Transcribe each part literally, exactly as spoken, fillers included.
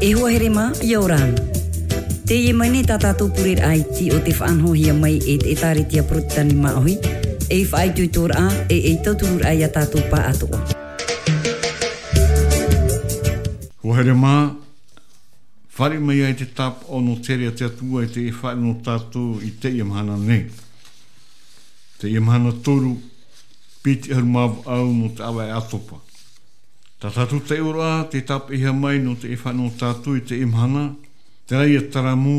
E hoa here mā, ʻia ora na. Teie mai nei tā tātou pureraʻa iti o te faʻanahohia mai e te ʻētāretia Porotetani māʻohi, ei faʻaitoitoraʻa, e ei tauturuʻraʻa ia tātou pāʻatoʻa. Hoa here mā, fāriʻi mai ai te tāpaʻo nō te here a te Atua i te faʻaʻite nō tātou i teie mahana nei. Teie mahana toru, piti ʻahuru mā vaʻu nō te ʻāvaʻe ʻātopa. Tā tātou taiʻoraʻa, tē tāpeʻahia mai nō te faʻaʻite nō tātou i teie mahana, terā ia taramo,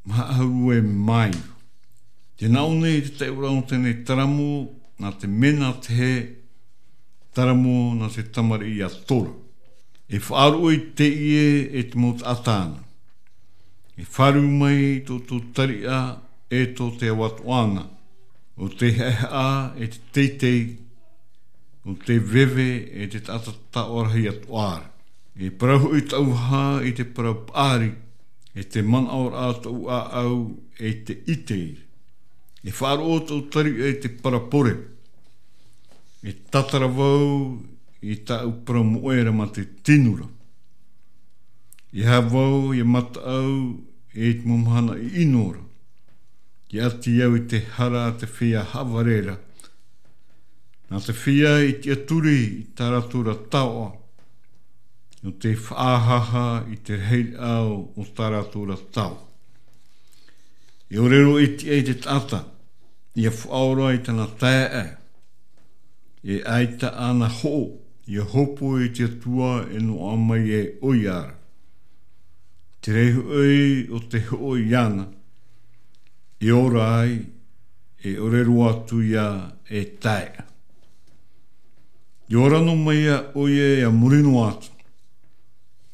maha ʻahuru e mā iva. Tē nā ʻō nei te taiʻoraʻa nō teie taramo, nā te mena te hē, taramo nā te tamariʻi a Tora. E faʻaroʻo i teie e te mau taʻata na. E fāriu mai tō tō tariʻa e tō te ao atoʻa na. ʻO te haʻehaʻa e te teitei, ʻo te veve e te taʻata taoʻa rahi atoʻa ra. E parau hoʻi tāʻu vaha i te parau paʻari, e te manaʻoraʻa tōʻu ʻāʻau e te ʻite. E faʻaroʻo tōʻu tariʻa i te parapore. E tātara vau i tāʻu parau moʻe ra mā te tino ra. E aha vau ia mataʻu i te mau mahana ʻino ra. Ia ʻati au i te hara a te feiā haʻavare ra. Nā te feiā i tiʻaturi i tā rātou ra taoʻa. ʻO te faʻahaha i te rahiraʻa o tā rātou ra taoʻa. E ʻore roa e tiʻa i te taʻata, ia faʻaora i tāna taeaʻe. E ʻaita āna hoʻo, ia hopoiʻa i te Atua e noaʻa mai e ʻoia ra. Te reira hoʻi o te hoʻo iāna, e ora ai, e ʻore roa atu ia e tae. Ia ora noa mai ʻoia ia muri noa atu.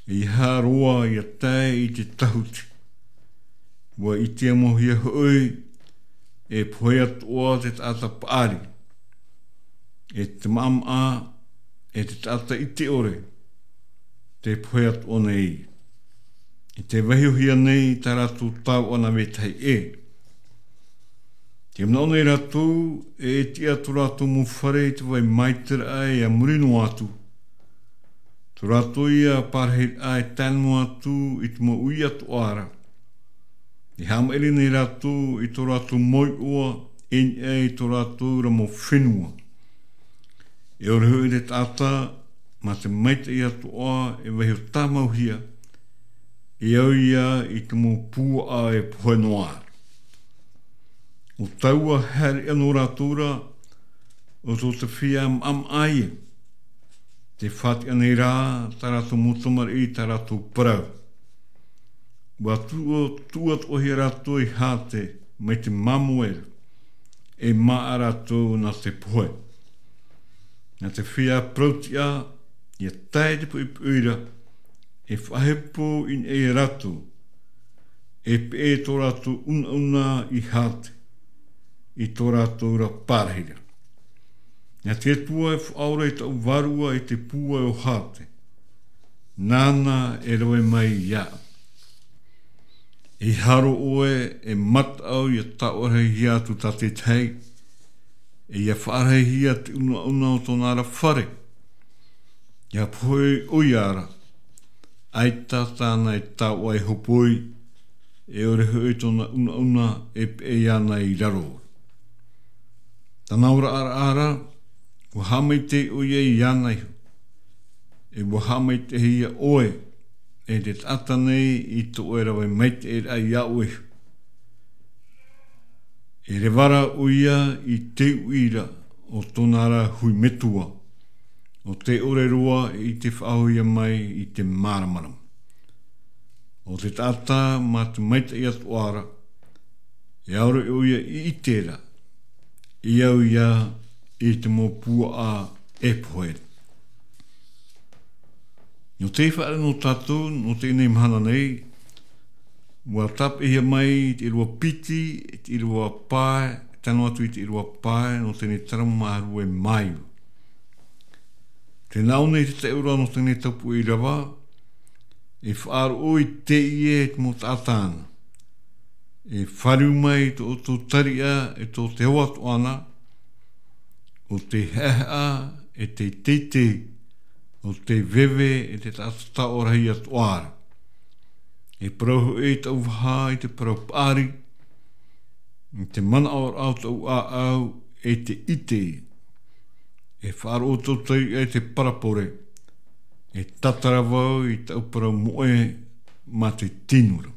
E ʻeiaha roa ia tae i te tahuti. ʻUa ʻite mau hia hoʻi, e pohe atoʻa te taʻata paʻari. E te maʻamaʻa, e te taʻata ʻite ʻore, tē pohe atoʻa nei. E tē vaihohia nei tā rātou taoʻa nā vetahi ʻē. Tē manaʻo nei rātou, e tiʻa tō rātou mau fare i te vai maitaʻi ia muri noa atu. Tō rātou ia parahiraʻa e tae noa atu i te mau uʻi atoʻa ra. E haʻamaʻiri nei rātou i tō rātou mau iʻoa, e niʻa i tō rātou ra mau fenua. E ʻore hoʻi te taʻata, mā te maitaʻi atoʻa e vaiho tāmauhia, e au ia i te mau puaʻa e pohe noa. ʻO taua haere anō rātou ra, ʻo tō te feiā maʻamaʻa ia. Tē faʻatiʻa nei rā, tā rātou mau tamariʻi, tā rātou parau. ʻUa tuʻu, tuʻu atoʻahia rātou i Hate, mai te māmoe ra, e māʻa rātou nā te pohe. Nā te feiā parautiʻa, ia tae te poʻipoʻi ra, e faʻahepo i niʻa ia rātou, e peʻe tō rātou unauna i Hate, i tō rātou ra parahiraʻa. Nā te Atua e faʻaora i taʻu vārua i te pūai o Hate. Nāna e rave mai iāʻu. E haro ʻoe e mataʻu ia taoʻa rahihia atu tā te tahi, e ia faʻarahihia te unauna o tōna ra fare. Ia pohe ʻoia ra, ʻaita tāna e taoʻa e hopoi, e ʻore hoʻi tōna unauna e peʻe iāna i raro. Tāna oraraʻa ra, ʻua haʻamaitaʻi ʻoia iāna iho. E ʻua haʻamaitaʻihia ʻoe, e te taʻata nei i tō ʻoe rave maitaʻiraʻa iāʻu iho. E reva ra ʻoia i te uʻi ra o tōna ra hui metua, ʻo tē ʻore roa i te faʻahoʻihia mai i te māramarama. ʻO te taʻata mā te maitaʻi atoʻa ra, e ʻaore ʻoia i ʻite ra, e au ia i te mau puaʻa e pohe. Nō te faʻaroʻo nō tātou, nō teie mahana nei, ʻua tāpeʻahia mai te ʻīrava piti, te ʻīrava pae, tae noa atu i te ʻīrava pae, nō teie taramo maha ʻahuru e mā iva. Tē nā ʻō nei te taiʻoraʻa nō teie taupoʻo ʻīrava, e faʻaroʻo i teie e te mau taʻata na. E fāriu mai tō ʻoutou tariʻa e tō te ao atoʻa na, ʻo te haʻehaʻa e te teitei, o te veve e te taʻata taʻoraʻa atoʻa ra. E parau hoʻi i taʻu vaha i te parau paʻari, i te manaʻoraʻa o taʻu ʻāʻau e te ʻite. E faʻaroʻo tō tariʻa i te parabole, e tātara vau i taʻu parau moʻe mā te tino ra.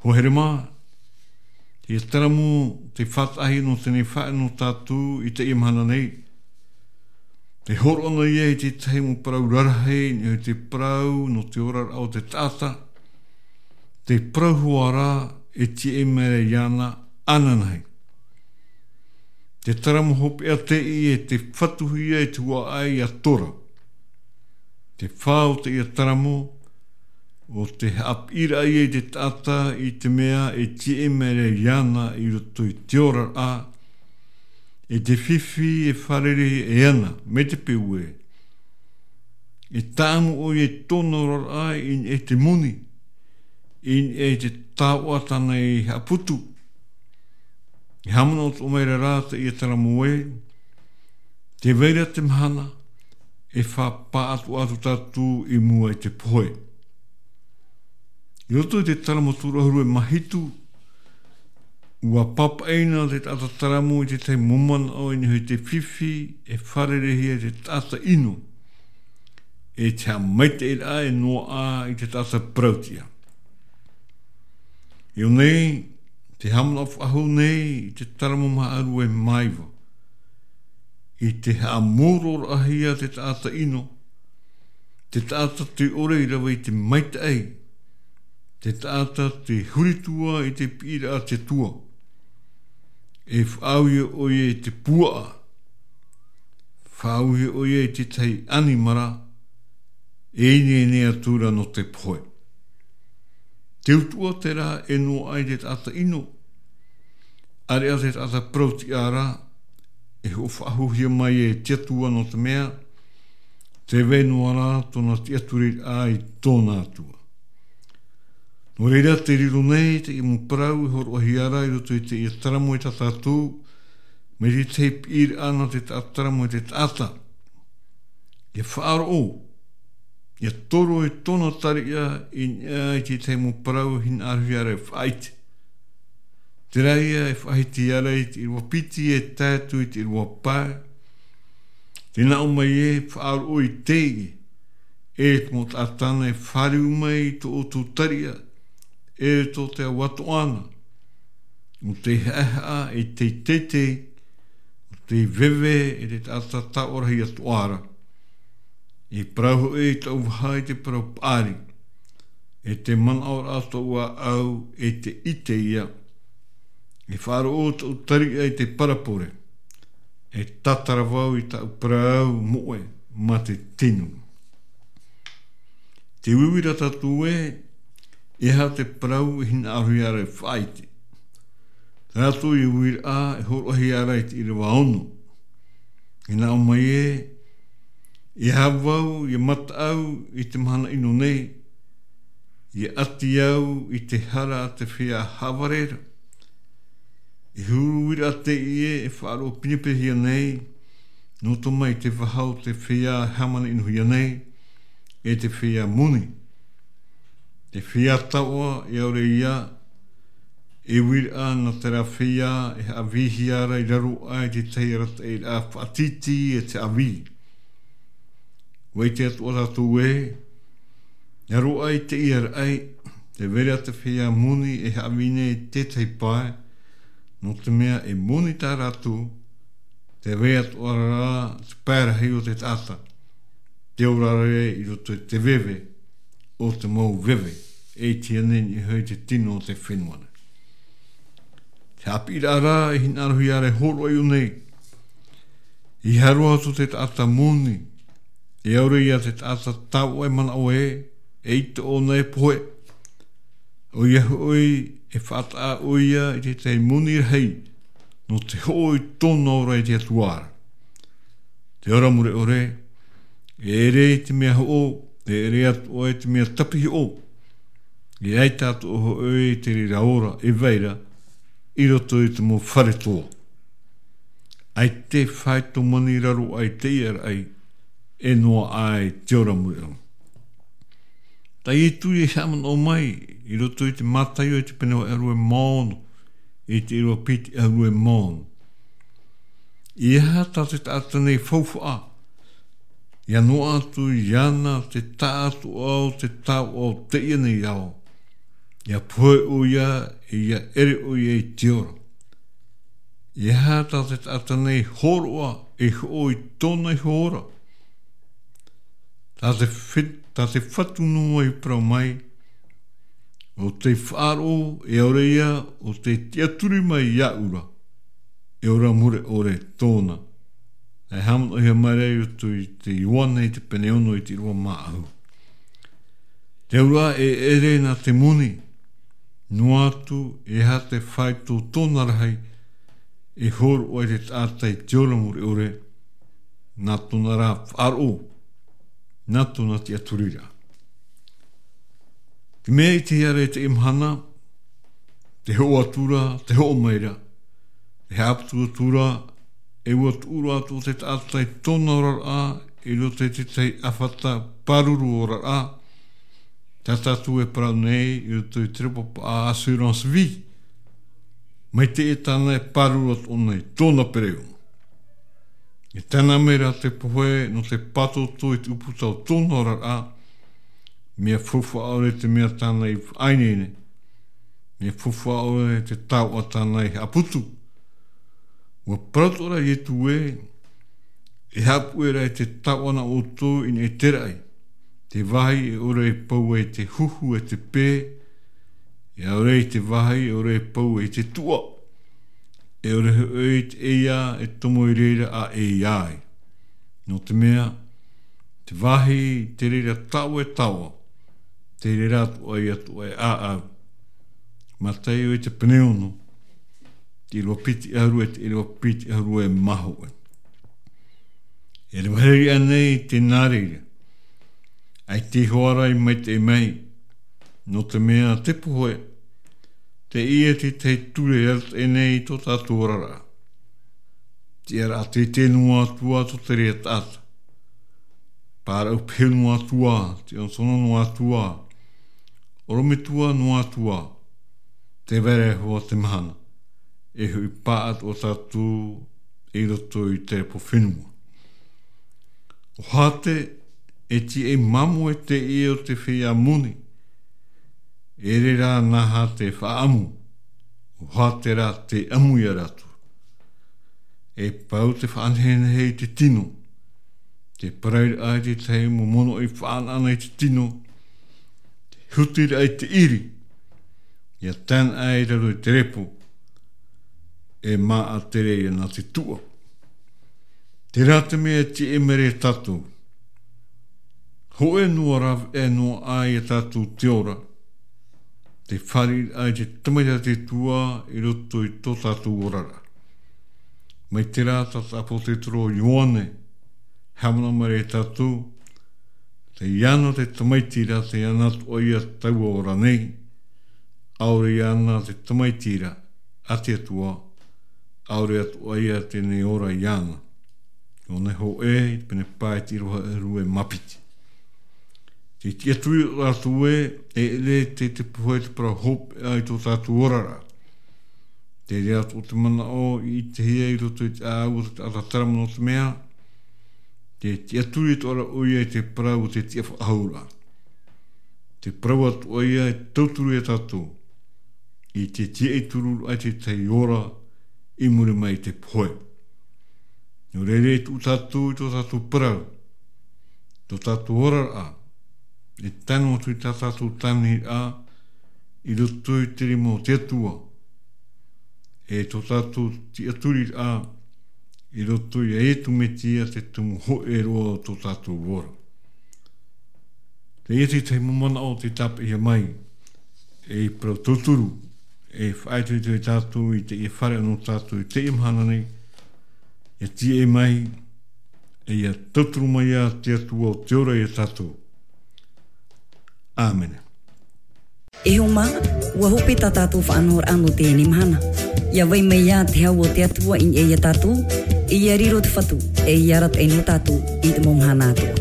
Hoa here mā, te taramo, te faʻataʻahia nō teie faʻaʻite nō tātou i teie mahana nei. Te hōroʻa nei ia i te tahi mau parau rarahi, i te parau nō te oraraʻa o te taʻata. Te parau hoʻi ra e tiʻa mai ra iāna ananahi. Te taramo hopeʻa teie e te fatuhia e te huaʻai a Tora. Te fā o teie taramo, o te haʻapiʻiraʻa ia i te taʻata i te mea e tiʻa mai ra iāna i roto i te oraraʻa, e te fifi e fārerei e ana, mai te peu ē. E tāʻamu ʻoia i tōna oraraʻa i niʻa i te moni, i niʻa i te taoʻa tāna i haʻaputu. E haʻamanaʻo atoʻa mai ra rā teie taramo ē, tē vai ra te mahana, e faʻapaʻatoʻa atu tātou i mua i te pohe. I roto i te taramo tūrahuru e mā hitu, ʻua pāpaʻi na te taʻata taramo i te tahi mau manaʻo i niʻa i te fifi e fārereihia e te taʻata ʻino, e te haʻamaitaʻiraʻa e noaʻa i te taʻata parau-tiʻa. I ʻō nei, te haʻamanaʻo faʻahou nei i te taramo maharu e mā iva. I te haʻamōroraʻahia te taʻata ʻino, te taʻata tē ʻore i rave i te maitaʻi, te taʻata tē huri atu i te piʻiraʻa a te Atua. E faʻaauhia ʻoia i te puaʻa, faʻaauhia ʻoia i te tahi ʻanimara, e ineine atu ra nō te pohe. Te utuʻa terā e noaʻa i te taʻata ʻino, ʻāreʻa te taʻata parau-tiʻa ra, e hoʻo faʻahouhia mai e te Atua nō te mea, tē vai noa ra tōna tiʻaturiraʻa i tōna Atua. Nō reira te riro nei teie mau parau e hōroʻahia ra i roto i teie taramo e tā tātou, mai te tahi piʻiraʻa nā te taʻata taramo e te taʻata. E faʻaroʻo, e toro i tōna tariʻa i niʻa i te tahi mau parau hinaʻarohia ra e faʻaʻite. Terā ia e faʻahiti ia ra i te ʻīrava piti e tae atu i te ʻīrava pae. Tē nā ʻō mai ē, faʻaroʻo i teie, e te mau taʻata e fāriu mai i tō ʻoutou tariʻa, e tō te ao atoʻa na, ʻo tei haʻehaʻa e tei teitei, ʻo tei veve e te taʻata taʻoraʻa atoʻa ra. E parau hoʻi i taʻu vaha i te parau paʻari, e te manaʻoraʻa o tōʻu ʻāʻau e te ʻite ia. E faʻaroʻo tōʻu tariʻa i te parabole, e tātara vau i taʻu parau moʻe mā te tino. Te uiuiraʻa tātou ē, e aha te parau e hinaʻarohia ra e faʻaʻite. Terā atoʻa uiuiraʻa e hōroʻahia ra i te ʻīrava ono. E nā ʻō mai ē, e aha vau, ʻia mataʻu i te mahana ʻino nei, ʻia ʻati au i te hara a te feiā haʻavare ra. E huru uiraʻa teie e faʻaroʻo pinepinehia nei, nō roto mai te vaha o te feiā e hāmani-ʻino-hia nei, e te feiā moni. Te feiā taoʻa, e ʻaore ia, e uiraʻa nā terā feiā e haʻavīhia ra i raro aʻe i te tahi arataʻiraʻa faʻatītī e te haʻavī. ʻUa ʻite atoʻa tātou ē, i raro aʻe i teie raʻi, tē vai ra te feiā moni e haʻavī nei i te tahi pae, nō te mea e moni tā rātou, tē vai atoʻa ra te pae rahi o te taʻata, tē ora ra i roto i te veve o te mau veve, e ʻite nei i niʻa i te tino o te fenua nei. Te haʻapiʻiraʻa ra e hinaʻarohia ra e hōroʻa i ʻō nei, ʻeiaha roa atu te taʻata moni, e ʻaore ia te taʻata taoʻa e manaʻo ē, eʻita ʻōna e pohe. ʻOia hoʻi, e faʻataʻa ʻoia i te tahi moni rahi, nō te hoʻo i tōna ora i te Atua ra. Te ora mure ʻore, e ʻere i te mea hoʻo, e ʻere atoʻa i te mea tapihoʻo. E ʻaita atoʻa hoʻi te reira ora e vai ra i roto i te mau fare toa. ʻAita e faʻaitoito mai i raro aʻe i teie raʻi, e noaʻa i te ora muri ʻana. Tā Ietu e haʻamanaʻo mai i roto i te Mataio i te pene vaʻu ʻahuru e ono, i te ʻīrava piti ʻahuru e ono. E aha tā te taʻata nei faufaʻa, ʻia noaʻa atu iāna te taʻatoʻa o te taoʻa o teie nei ao, ʻia pohe ʻoia, ʻia ʻere ʻoia i te ora. E aha tā te taʻata nei hōroʻa e hoʻo i tōna iho ora? Tā te, tā te Fatu noa i parau mai, ʻo tē faʻaroʻo, e ʻaore ia ʻo tē tiʻaturi mai iāʻu ra, e ora mure ʻore tōna. E haʻamanaʻohia mai ra i roto i te Ioane i te pene ono i te ʻīrava mā ʻahu. Te auraʻa e ʻere nā te moni, noa atu e aha te faito tōna rahi, e hōroʻa i te taʻata i te ora mure ʻore, nā tōna rā faʻaroʻo, nā tōna tiʻaturiraʻa. Te mea i te hiʻo ra i teie mahana, tē hoʻo atu ra, tē hoʻo mai ra, tē haʻaputu atu ra, e ʻua tuʻu roa atu te taʻata i tōna oraraʻa, i roto i te tahi ʻāfata pāruru oraraʻa, tā tātou e parau nei, i roto i te repo paʻa assurance vie. Mai teie tāna e pāruru atu ʻōna i tōna pereono. E tae noa mai ra te pohe nō te pātōtō i te ʻūputa o tōna oraraʻa, mea faufaʻa ʻore te mea tāna i faʻaineine, mea faufaʻa ʻore te taoʻa tāna i haʻaputu. ʻUa parau atoʻa ra Ietu ē, e haʻapuʻe ra i te taoʻa nā ʻoutou i niʻa i te raʻi, te vāhi e ʻore e pau ai te huhu e te pē, e ʻaore i te vāhi e ʻore e pau ai te tuʻa, e ʻore hoʻi te ʻeiā e tomo i reira ʻa ʻeiā ai. Nō te mea, te vāhi tē reira taoʻa e taoʻa, tē reira atoʻa ia atoʻa e ʻāʻau. Mataio i te pene ono, te ʻīrava piti ʻahuru e te ʻīrava piti ʻahuru e mā hōʻē. E rave rahi ānei te nā reira? ʻAita hoʻi ra i maitaʻi mai, nō te mea te pohe, teie te tahi ture e arataʻi nei i tō tātou oraraʻa. Te ʻīrava teitei noa atu ā tō te reira taʻata. Pāraʻu pehu noa atu ā, te ʻonotono noa atu ā, ʻorometua noa atu ā, tē vai ra hoʻi te mahana, e hoʻi atoʻa tātou i roto i te repo fenua. ʻO Hate, e tiʻa māmoe teie o te feiā moni, e ʻere rā nā Hate e faʻaʻamu, ʻo Hate rā tē ʻamu ia rātou. E pau te faʻanehenehe i te tino, te parairaʻa i te tahi mau monoʻi faʻanaʻana i te tino, te hutiraʻa i te ʻiri, ʻia tae noa i raro i te repo, e māʻa tere ia nā te tuʻa. Terā te mea e tiʻa mai ra ia tātou. Hōʻē noa rāveʻa noa aʻe ia tātou te ora, te fāriʻiraʻa i te Tamaiti a te Atua i roto i tō tātou oraraʻa. Mai terā taʻata ʻāpōsetolo Ioane, haʻamanaʻo mai ra ia tātou, tei iāna te Tamaiti ra, tei iāna atoʻa ia taua ora nei, ʻaore iāna te Tamaiti ra a te Atua, ʻaore atoʻa ia tē nei ora iāna. ʻO Ioane hōʻē, pene pae e te ʻīrava ʻahuru e mā piti. Te tiʻaturi o tātou ē, e ʻere te, te pohe te parau hopeʻa i tō tātou oraraʻa. Te reira atoʻa te manaʻo i ʻitehia i roto i te ʻāʻau o te taʻata terā nō te mea, te tiʻaturi atoʻa ra ʻoia i te parau o te tiʻafaʻahouraʻa. Te parau atoʻa ia e tauturu ia tātou, i te tiaʻi turu i te tahi ora i muri mai i te pohe. Nō reira e tuʻu tātou i tō tātou parau, tō tātou oraraʻa, e tae noa atu i tā tātou tāviniraʻa, i roto i te rima o te Atua, e tō tātou tiʻaturiraʻa, i roto ia Ietu Metia te tumu hōʻē roa o tō tātou ora. Teie te tahi mau manaʻo tei tāpeʻahia mai, ei parau tauturu, e faʻaitoito ia tātou i teie fare nō tātou i teie mahana nei, ʻia tiaʻi mai, e ʻia tauturu mai ā te Atua o te ora ia tātou. ʻĀmene. E hoa mā, ʻua hope tā tātou faʻanahoraʻa nō teie mahana. ʻIa vai mai ā te hau o te Atua i niʻa ia tātou, Ia riro te Fatu, e ia arataʻi nei tātou i te mau mahana atoʻa.